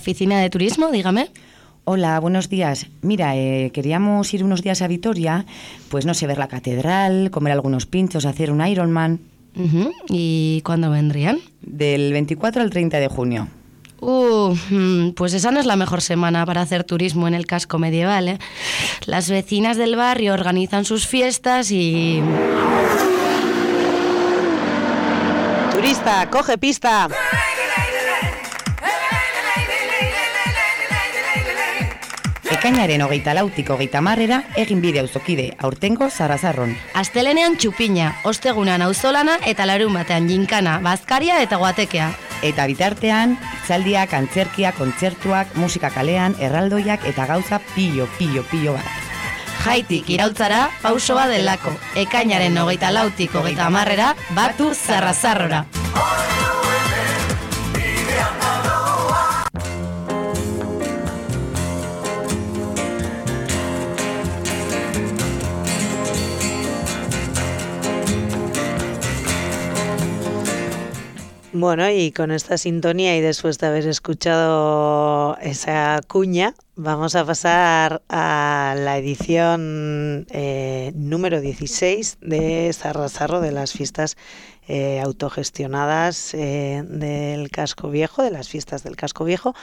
Oficina de Turismo, dígame. Hola, buenos días. Mira, queríamos ir unos días a Vitoria, pues no sé, ver la catedral, comer algunos pinchos, hacer un Ironman. ¿Y cuándo vendrían? Del 24 al 30 de junio. Pues esa no es la mejor semana para hacer turismo en el casco medieval, ¿eh? Las vecinas del barrio organizan sus fiestas y... Turista, coge pista. Ekainaren 24 30 egin bide auzokide, aurtengo Sarrazarron. Astelenean txupina, ostegunan auzolana eta larun batean jinkana, bazkaria eta guatekea. Eta bitartean, itzaldiak, antzerkia, kontzertuak, musika kalean, erraldoiak eta gauza pilo bat. Jaitik iraultzara, pauso bat delako. Ekainaren 24 30 batu Sarrazarrora. Bueno, y con esta sintonía y después de haber escuchado esa cuña, vamos a pasar a la edición número 16 de Sarrazarro, de las fiestas autogestionadas del Casco Viejo, de las fiestas del Casco Viejo.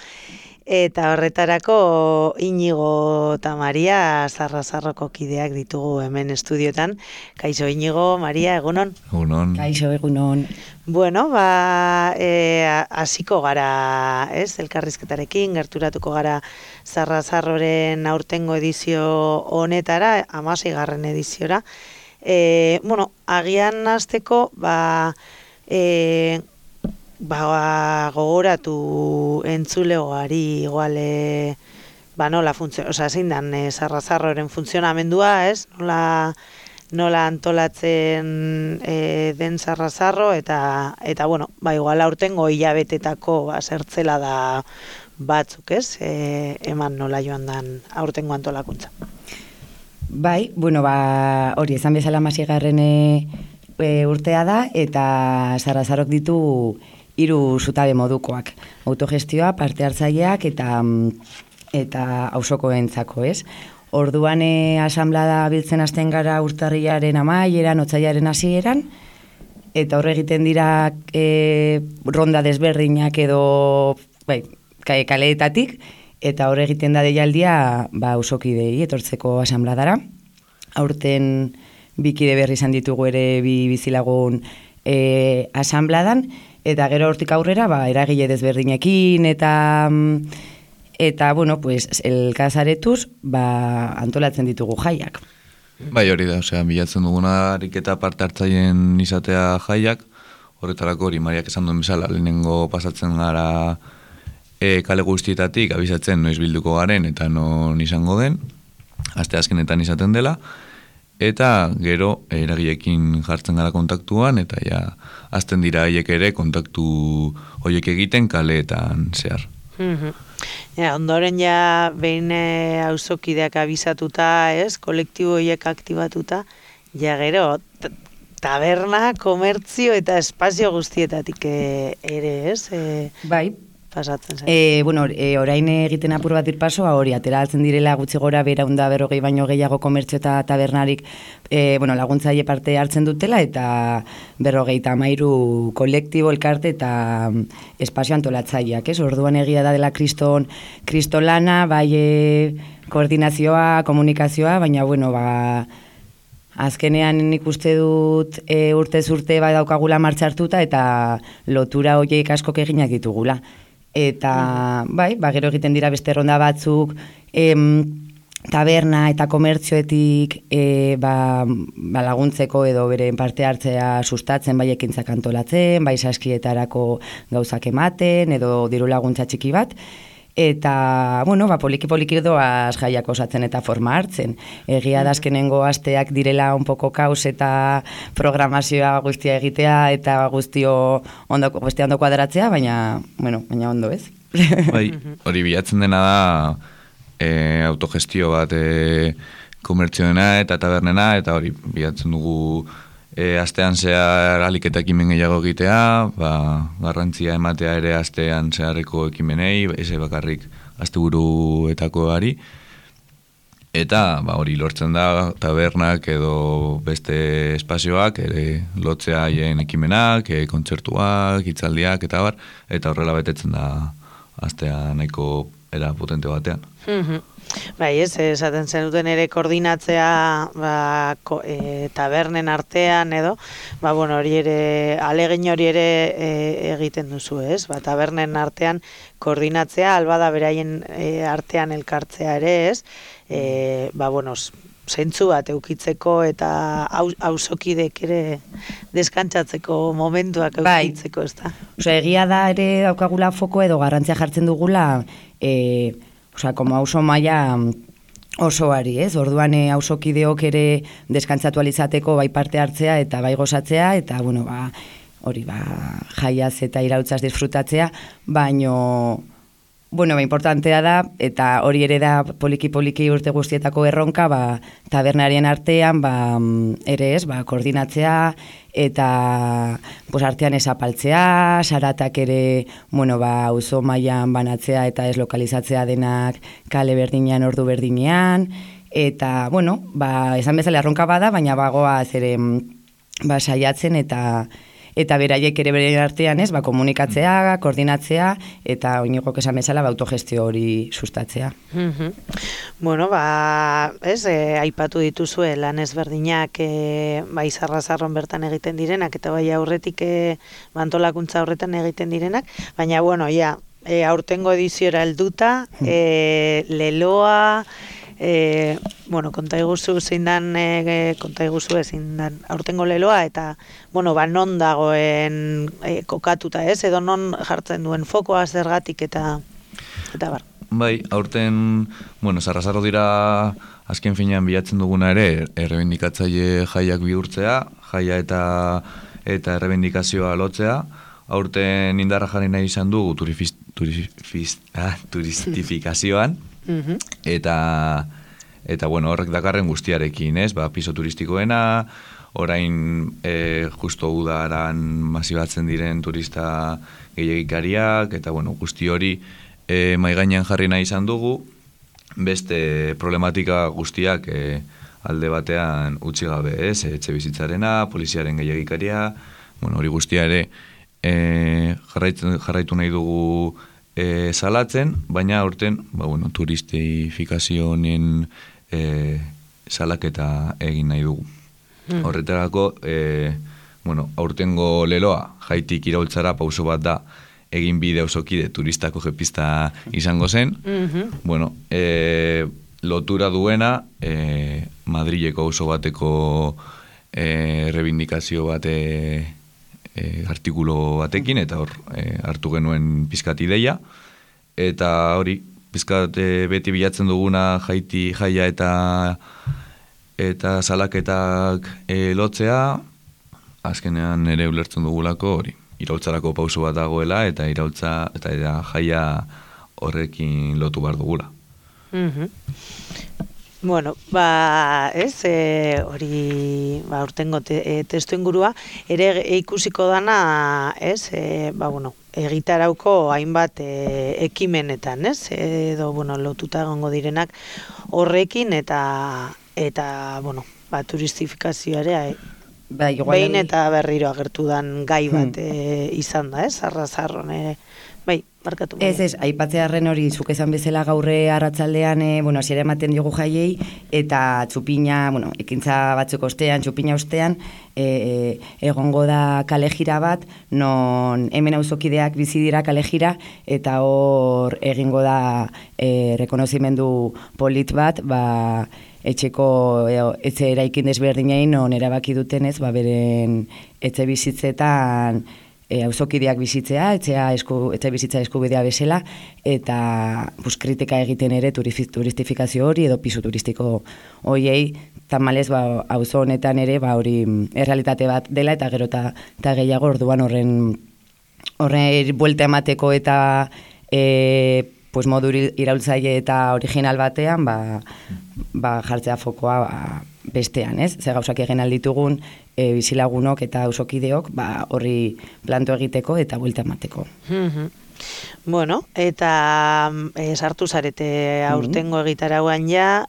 Eta horretarako Iñigo eta Maria Sarrazarroko kideak ditugu hemen estudiotan. Kaixo Iñigo, Maria, egunon? Egunon. Kaixo, egunon. Bueno, hasiko gara, ez, elkarrizketarekin, gerturatuko gara Sarrazarroren aurtengo edizio honetara, 16. ediziora. Bueno, agian hasteko, gogoratu entzulegoari igual nola zein dan Sarrazarroren funtzionamendua, ez? Nola antolatzen den Sarrazarro eta bueno, igual aurtengo hilabetetako zertzela da batzuk, ez? Eman nola joan dan aurtengo antolakuntza. Bai, bueno, hori esan bezala 16. Urtea da eta Sarrazarrok ditu 3 zutabe modukoak. Autogestioa, parte hartzaileak eta auzokoentzako, ez? Orduan asanblada biltzen hasten gara urtarrilaren amaieran, otsailaren hasieran, eta horre egiten dira ronda desberdinak edo kaleetatik, eta horre egiten da deialdia auzokidei etortzeko asanbladara. Aurten bikide berri izan ditugu ere bizilagun asanbladan, eta gero hortik aurrera eragile desberdinekin eta bueno, pues elkazaretuz antolatzen ditugu jaiak. Bai, hori da, bilatzen duguna ariketa parte hartzaileen izatea jaiak, horretarako hori Mariak esan duen bezala, lehenengo pasatzen gara kale guztietatik abisatzen noiz bilduko garen eta non izango den, aste azkenetan izaten dela, eta gero eragileekin jartzen gara kontaktuan, eta ja, azten dira haiek ere kontaktu horiek egiten kaleetan zehar. Ondoren behin auzokideak abisatuta, ez, kolektibo horiek aktibatuta, gero taberna, komertzio eta espazio guztietatik ere, ez? Bai. Pasatzen zen. Bueno, orain egiten apur bat irpaso, hori, atera altzen direla gutxi gora 240 baino gehiago komertzio eta tabernarik laguntzaile parte hartzen dutela, eta 53 kolektibo, elkarte eta espazio antolatzaileak, ez? Orduan egia da dela kristolana, koordinazioa, komunikazioa, baina, bueno, azkenean nik uste dut urtez urte daukagula martxartuta eta lotura horiek askok eginak ditugula. Eta, gero egiten dira beste ronda batzuk, taberna eta komertzioetik laguntzeko edo beren parte hartzea sustatzen, bai ekintzak antolatzen, bai saskietarako gauzak ematen, edo diru laguntza txiki bat. Eta, bueno, poliki-poliki doaz jaiak osatzen eta forma hartzen. Egia da azkenengo asteak direla un poco kaos eta programazioa guztia egitea eta guztia ondo kuadratzea, baina ondo, ez? Bai, hori bilatzen dena da autogestio bat komertzioena eta tabernena, eta hori bilatzen dugu astean zehar aliketa ekimen gehiago egitea, garrantzia ematea ere astean zeharreko ekimenei, ez bakarrik asteburuetakoari, eta hori lortzen da tabernak edo beste espazioak ere lotzea haien ekimenak, kontzertuak, hitzaldiak eta bar, eta horrela betetzen da astea nahiko era potente batean. Bai, esaten zenuten ere koordinatzea tabernen artean edo, hori ere, alegin hori ere egiten duzu, ez? Tabernen artean koordinatzea, albada beraien artean elkartzea ere, ez? Zentzu bat eukitzeko eta auzokidek ere deskantzatzeko momentuak eukitzeko, ez da? Egia da ere daukagula foko edo garrantzia jartzen dugula, como auzo maila osoari, ez? Orduan auzokideok ere deskantzatu alizateko bai parte hartzea eta bai gozatzea, eta hori jaiaz eta irautzaz disfrutatzea, baino importantea da, eta hori ere da poliki-poliki urte guztietako erronka, tabernarien artean, ere ez, koordinatzea, eta artean esapaltzea, saratak ere, auzo mailan banatzea eta ez lokalizatzea denak kale berdinean, ordu berdinean, eta, esan bezala erronka bada, baina bagoaz ere saiatzen eta beraiek ere beren artean, ez, komunikatzea, koordinatzea, eta oinigok esan bezala autogestio hori sustatzea. Aipatu dituzue lan ezberdinak Zarrazarron bertan egiten direnak, eta bai aurretik antolakuntza horretan egiten direnak, baina, aurtengo ediziora helduta, leloa, konta iguzu zein dan aurtengo leloa, eta non dagoen kokatuta, ez, edo non jartzen duen fokoa zergatik eta bar. Bai, aurten, Zarrazarro dira azken finean bilatzen duguna ere errebindikatzaile jaiak bihurtzea, jaia eta errebindikazioa lotzea. Aurten indarra jarri nahi izan dugu turistifikazioan, eta horrek dakarren guztiarekin, ez? Piso turistikoena, orain justo udaran masibatzen diren turista gehiagikariak, eta guzti hori maigainean jarri nahi izan dugu, beste problematika guztiak alde batean utzi gabe, ez? Etxe bizitzarena, poliziaren gehiagikaria, hori guztia ere jarraitu nahi dugu salatzen, baina aurten turistifikazio honen salaketa egin nahi dugu. Horretarako, aurtengo leloa jaitik iraultzara pauso bat da egin bide auzokide turistako jepista izango zen. Lotura duena Madrileko auzo bateko rebindikazio bate artikulo batekin, eta hor hartu genuen pizkat ideia, eta hori pizkat beti bilatzen duguna jaia eta salaketak lotzea, azkenean ere ulertzen dugulako hori iraultzarako pauso bat dagoela, eta iraultza eta jaia horrekin lotu behar dugula. Hori urtengo testu ingurua, ere ikusiko dana, egitarauko hainbat ekimenetan, edo, lotuta egongo direnak horrekin, eta turistifikazioa behin eta berriro agertu dan gai bat izan da, Zarrazarron, markatu. Ez, aipatzearren hori zuk esan bezala gaurre arratsaldean, hasiera ematen diogu jaiei, eta txupina, ekintza batzuk ostean, txupina ostean, egongo da kalejira bat, non hemen auzokideak bizi dira kalejira, eta hor egingo da rekonozimendu polit bat, etxe eraikin desberdinain non erabaki dutenez, beren etxe bizitzetan auzokideak bizitzea, etxe bizitza eskubidea bezala, eta kritika egiten ere turistifikazio hori edo pisu turistiko horiei, tamalez auzo honetan ere hori errealitate bat dela, eta gero eta gehiago orduan horren buelta emateko eta modu iraultzaile eta original batean jartzea fokoa bestean, ez? Ze gauzak egin alditugun bizilagunok eta auzokideok horri planto egiteko eta buelta emateko. Bueno, eta sartu zarete aurtengo egitarauan ja,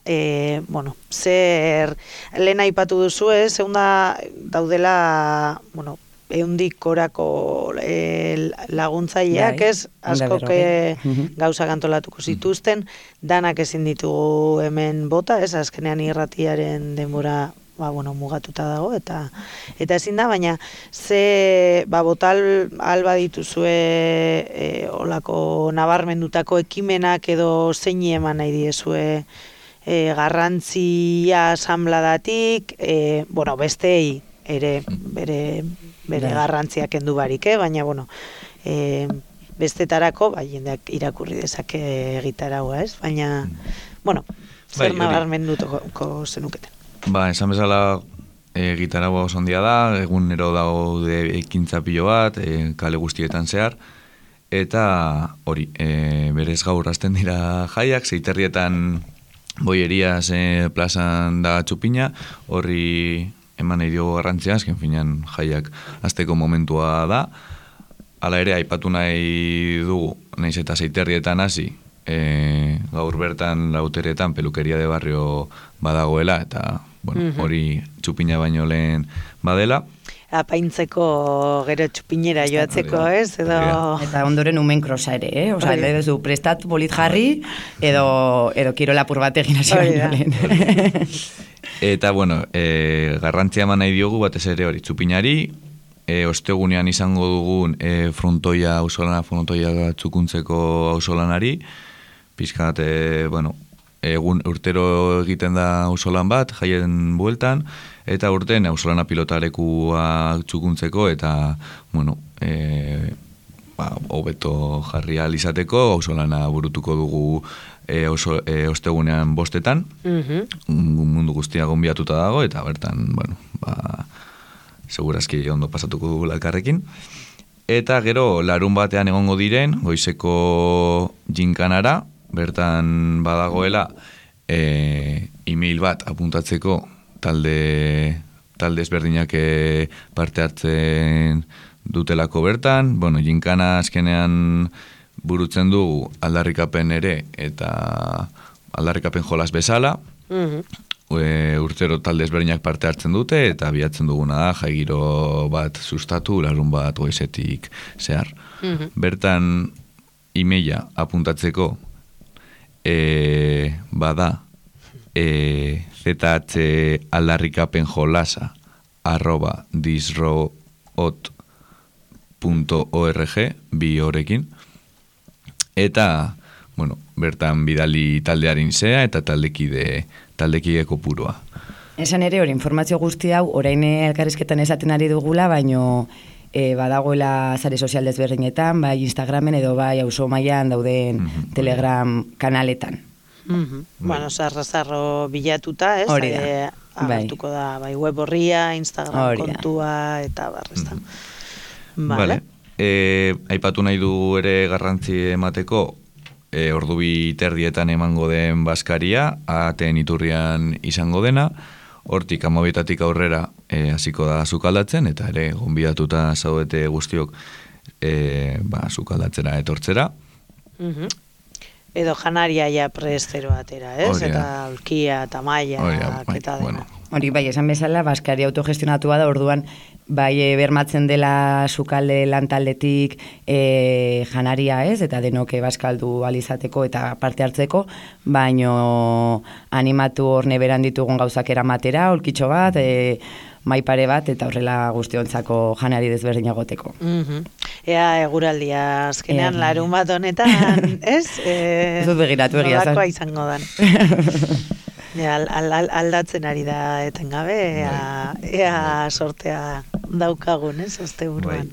bueno, zer lehen aipatu duzu, zeunda daudela, bueno, 100 korako laguntzaileak, ez? Askok gauzak antolatuko zituzten, danak ezin ditugu hemen bota, ez? Azkenean irratiaren denbora mugatuta dago, eta ezin da, baina ze botal alba dituzue olako nabarmendutako ekimenak edo zein eman nahi diezue garrantzia asambladatik, bueno, besteei ere bere garrantziak kendu barik, baina, bueno, bestetarako, jendeak irakurri dezake egitaraua, ez? Baina, bueno, zer nabarmenduko zenuketen. Esan bezala gitaragua oso handia da, egunero daude ekintza pilo bat, kale guztietan zehar, eta hori, berez gaur hasten dira jaiak, Zeiterrietan Bollerias plazan da txupina, horri eman nahi diogu garrantzia, azken finean jaiak hasteko momentua da, hala ere aipatu nahi dugu, nahiz eta Zeiterrietan hasi, gaur bertan Lauteretan pelukeria de barrio badagoela, eta bueno, hori txupina baino lehen badela. Apaintzeko gero txupinera joatzeko, ez? Eta ondoren umen krosa ere, Osa, edo zu prestat bolit jarri, edo kirolapur bat egin hasi baino lehen. Eta, bueno, garrantzia eman nahi diogu batez ere hori txupinari, ostegunean izango dugun frontoia txukuntzeko auzolanari, pizkat, bueno, egun urtero egiten da auzolan bat, jaien bueltan, eta urten auzolana pilotarekua txukuntzeko, eta, bueno, hobeto jarri ahal izateko, auzolana burutuko dugu ostegunean 5:00, mundu guztia gonbiatuta dago, eta bertan, bueno, segurazki ondo pasatuko dugu elkarrekin. Eta gero, larun batean egongo diren, goizeko jinkanara, bertan badagoela email bat apuntatzeko talde ezberdinak parte hartzen dutelako bertan. Bueno, jinkana azkenean burutzen dugu aldarrikapen ere eta aldarrikapen jolas bezala. Urtero talde ezberdinak parte hartzen dute eta bilatzen duguna da jaigiro bat sustatu larun bat goizetik zehar. Bertan emaila apuntatzeko bada zhcolasa@disroot.org bi horrekin, eta bueno, bertan bidali taldearin zea eta taldekide kopurua. Esan ere hori informazio guzti hau orain elkarrizketan esaten ari dugula, baino badagoela sare sozial desberdinetan, bai Instagramen edo bai auzo mailan dauden Telegram kanaletan. Bueno, zarro bilatuta, ez? Agertuko da, bai web horria, Instagram kontua, eta barrezta. Vale. Aipatu nahi du ere garrantzi emateko, ordu 2:30 emango den bazkaria, ateen iturrian izango dena, hortik 12:00 aurrera hasiko da sukaldatzen, eta ere gonbidatuta zaudete guztiok sukaldatzera etortzera. Edo janaria ja prestero atera, ez? Eta aulkia, tamaia, eta dena. Hori, bai, esan bezala, bazkari autogestionatua da, orduan, bai, bermatzen dela sukalde lantaldetik janaria, ez? Eta denoke bazkaldu alizateko eta parte hartzeko, baino animatu hor neberan ditugun gauzak eramatera, olkitxo bat, maipare bat, eta horrela guztiontzako janari desberdinagoteko. Ea eguraldia azkenean larun bat honetan, ez? Ez dut begiratu egia. Nolakoa izango dan. Aldatzen ari da etengabe, ea sortea daukagun, ez? Asteburuan.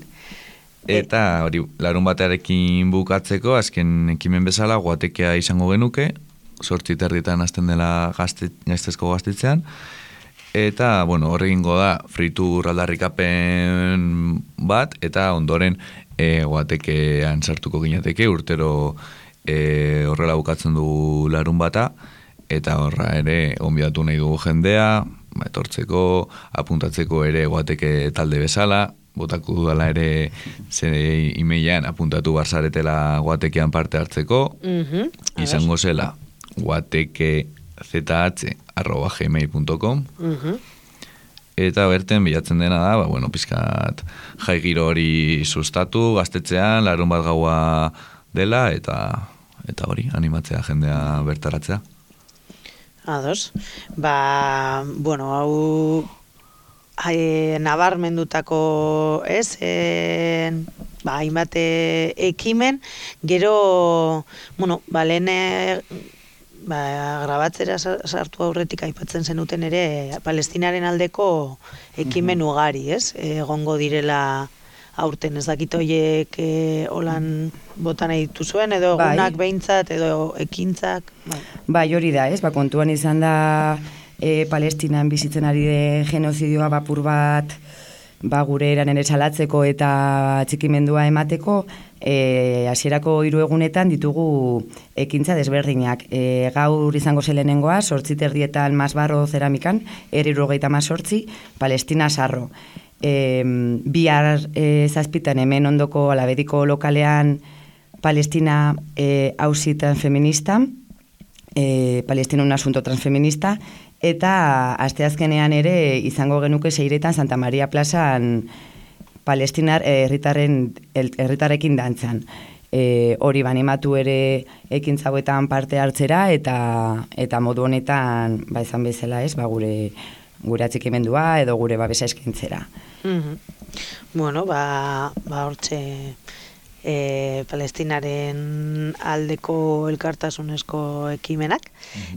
Eta hori, larun batearekin bukatzeko, azken ekimen bezala, guatekea izango genuke, 8:30 hasten dela gaiztezko gaztetzean, eta, bueno, horregingo da, fritur aldarrikapen bat, eta ondoren guatekean sartuko ginateke, urtero horrela bukatzen du larun bata, eta horra ere, gonbidatu nahi dugu jendea, etortzeko, apuntatzeko ere guateke talde bezala, botako dudala ere zere emailean apuntatu barzaretela guatekean parte hartzeko, izango zela guatekezh@gmail.com, eta berten bilatzen dena da, pizkat jai giro hori sustatu, gaztetzean, larun bat gaua dela, eta hori, animatzea jendea bertaratzea. Ados. Hau nabarmendutako, hainbat ekimen, gero, lehen grabatzera sartu aurretik aipatzen zenuten ere Palestinaren aldeko ekimen ugari, egongo direla aurten, ez dakit horiek holan botan editu zuen, edo egunak behintzat, edo ekintzak. Bai, hori da, kontuan izan da Palestinan bizitzen ari den genozidioa bapur bat gure eran ere salatzeko eta txikimendua emateko, hasierako 3 egunetan ditugu ekintza desberdinak. Gaur izango zelenengoa, 8:30 Masbarro zeramikan, 78, Palestina Sarro. Bihar 7 hemen ondoko Alaberiko lokalean Palestina auzi transfeminista, Palestina un asunto transfeminista, eta asteazkenean ere izango genuke 6 Santa Maria plazan Palestinar herritarrekin dantzan. Hori animatu ere ekintza hauetan parte hartzera, eta modu honetan izan bezala gure atxikimendua edo gure babesa eskintzera. Hortxe Palestinaren aldeko elkartasunezko ekimenak.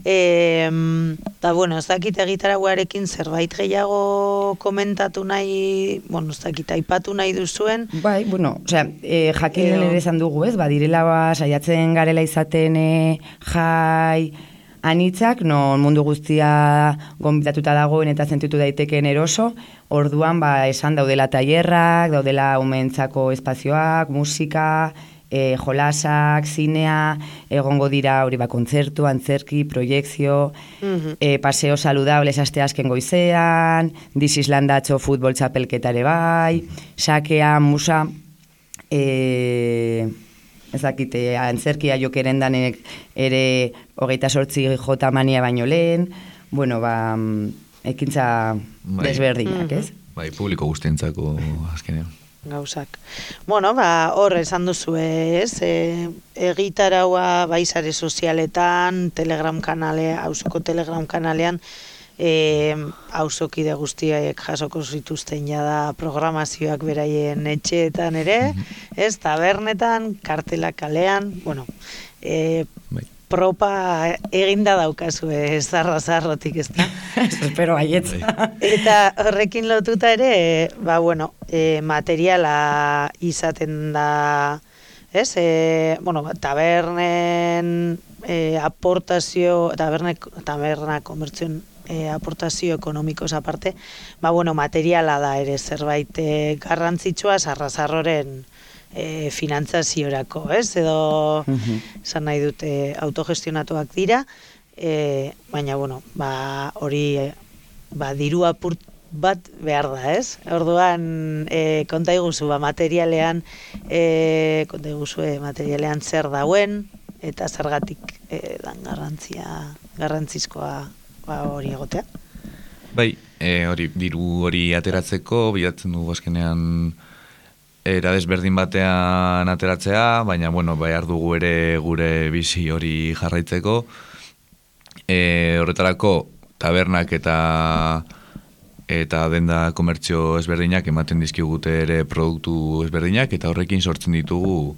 Ez dakit egitaraguarekin zerbait gehiago komentatu nahi, ez dakit aipatu nahi duzuen. Bai, jakin ere esan dugu, badirela saiatzen garela izaten jai anitzak, non mundu guztia gonbidatuta dagoen eta sentitu daiteken eroso, orduan esan daudela tailerrak, daudela umentzako espazioak, musika, jolasak, zinea, egongo dira hori kontzertu, antzerki, proiekzio, paseo saludables asteazken goizean, This Islandatxo futbol txapelketare bai, sakea, musa, ezakite, antzerkia jokeren danek ere 28 jota mania baino lehen, ekintza desberdinak, ez? Bai, publiko guztientzako azkenean. Gauzak. Hor esan duzu egitaraua sare sozialetan, Telegram kanale, auzoko Telegram kanalean, auzokide guztiak jasoko zituzten jada programazioak beraien etxeetan ere, tabernetan, kartelak kalean, propa eginda daukazu zarrotik, ez da? Espero baietz. Eta horrekin lotuta ere, materiala izaten da, tabernen aportazio, taberna komertzioen aportazio ekonomikoz aparte, materiala da ere zerbait garrantzitsua zarrazarroren finantzaziorako, edo esan nahi dute autogestionatuak dira, baina, hori diru apurt bat behar da, Orduan, konta iguzu, materialean zer dauen, eta zergatik dan garrantzizkoa hori egotea. Bai, diru hori ateratzeko, bilatzen dugu azkenean era desberdin batean ateratzea, baina, behar dugu ere gure bizi hori jarraitzeko. Horretarako, tabernak eta denda komertzio ezberdinak ematen dizkigute ere produktu ezberdinak, eta horrekin sortzen ditugu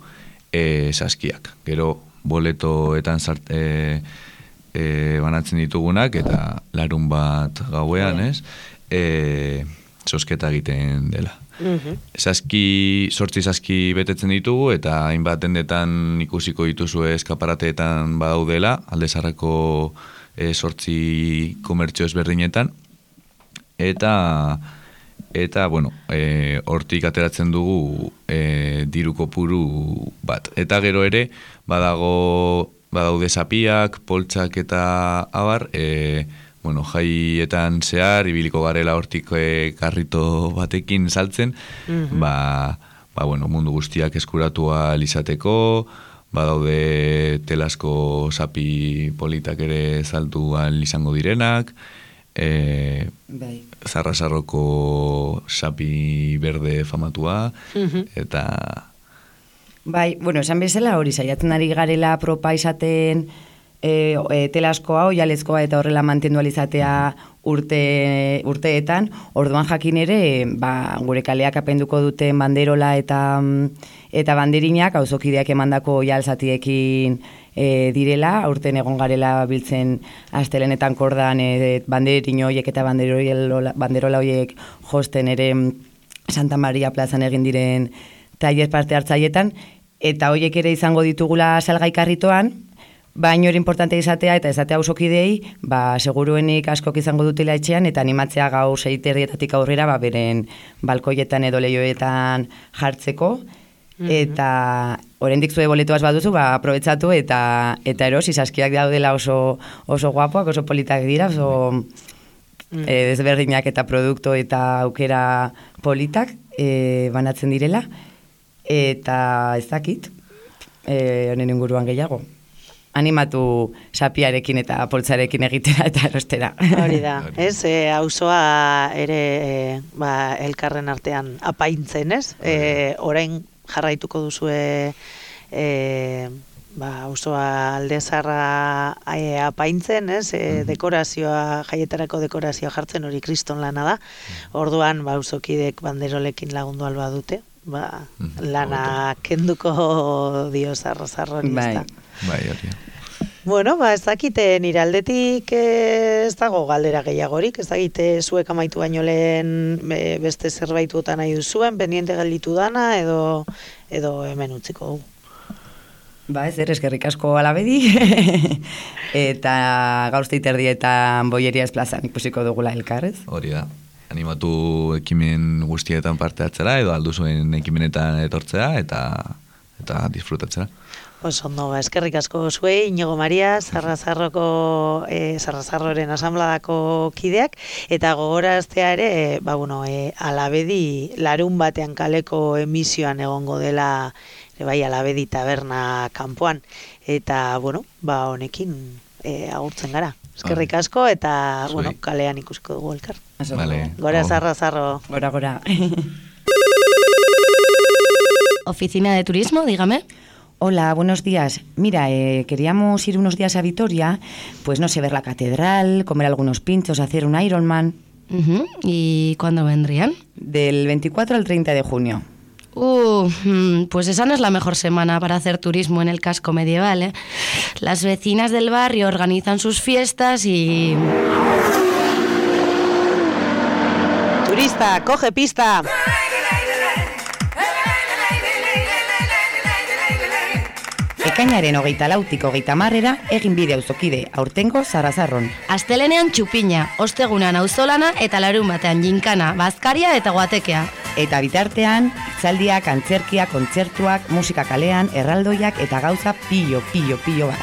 saskiak. Gero, boletoetan banatzen ditugunak, eta larun bat gauean, sosketa egiten dela. Sortzi saski betetzen ditugu, eta hainbat dendetan ikusiko dituzu eskaparateetan badaudela, aldezarrako sortzi komertzio ezberdinetan, eta hortik ateratzen dugu diru kopuru bat. Eta gero ere, badaude zapiak, poltsak eta abar, bueno, jaietan zehar, ibiliko garela hortik karrito batekin saltzen, bueno, mundu guztiak eskuratua izateko, badaude telasko sapi politak ere saltuan izango direnak, Zarrasarroko sapi berde famatua, eta... Bai, bueno, esan bezala hori, saiatzen ari garela propa izaten telaskoa, oialezkoa eta horrela mantendu alizatea urteetan, orduan jakin ere, gure kaleak apenduko duten banderola eta banderinak, auzokideak emandako oialzatiekin direla, aurten egon garela biltzen astelenetan kordan banderin horiek eta banderola horiek josten ere Santa Maria plazan egin diren tailer parte hartzaietan, eta horiek ere izango ditugula salgai karritoan, baina hori importante izatea eta ezatea ausokidei, seguruenik askok izango dutela etxean, eta animatzea gau 6:00 aurrera, beren balkoietan edo lehioetan jartzeko, eta oraindik zue boletoaz baduzu, aprobetxatu eta erosi, saskiak daudela oso guapoak, oso politak dira, oso desberdinak eta produktu eta aukera politak banatzen direla, eta ez dakit, honen inguruan gehiago. Animatu sapiarekin eta poltsarekin egitera eta erostera. Hori da, ez? Auzoa ere elkarren artean apaintzen, ez? Orain jarraituko duzue auzoa Alde-Zaharra apaintzen, ez? Dekorazioa, jaietarako dekorazioa jartzen, hori kriston lana da. Orduan, auzokidek banderolekin lagundu alba dute, lana kenduko dio zarro-zarrori, ez da. Bai, hori. Bueno, ez dakite nire aldetik ez dago galdera gehiagorik, ez dakite zuek amaitu baino lehen beste zerbaituotan nahi duzuen, pendiente gelditu dana edo hemen utziko dugu. Ez eskerrik asko Alabedi, eta gaur 7:30 Bollerias plazan ikusiko dugula elkarrez. Hori da. Animatu ekimen guztietan parte hartzera edo alduzuen ekimenetan etortzea eta disfrutatzera. Ondo, eskerrik asko zuei, Iñigo Maria, Zarrasarroren asambladako kideak, eta gogoraztea ere, Alabedi larun batean kaleko emisioan egongo dela, Alabedi taberna kanpoan, eta, honekin agurtzen gara. Eskerrik asko, eta, kalean ikusiko dugu elkar. Vale. Gora Zarrasarro. Gora. Oficina de Turismo, dígame. Hola, buenos días. Mira, queríamos ir unos días a Vitoria, pues no sé, ver la catedral, comer algunos pinchos, hacer un Ironman. ¿Y cuándo vendrían? Del 24 al 30 de junio. Pues esa no es la mejor semana para hacer turismo en el casco medieval, ¿eh? Las vecinas del barrio organizan sus fiestas y... Turista, coge pista. Ekainaren 24-tik 30 egin bide auzokide aurtengo Zarrasarron. Astelenean txupina, ostegunan auzolana eta larun batean jinkana, bazkaria eta guatekea. Eta bitartean, hitzaldiak, antzerkia, kontzertuak, musika kalean, erraldoiak eta gauza pilo bat.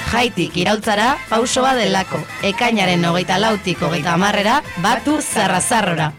Jaitik iraultzara, pausoa delako. Ekainaren 24-tik 30 batu Zarrasarrora.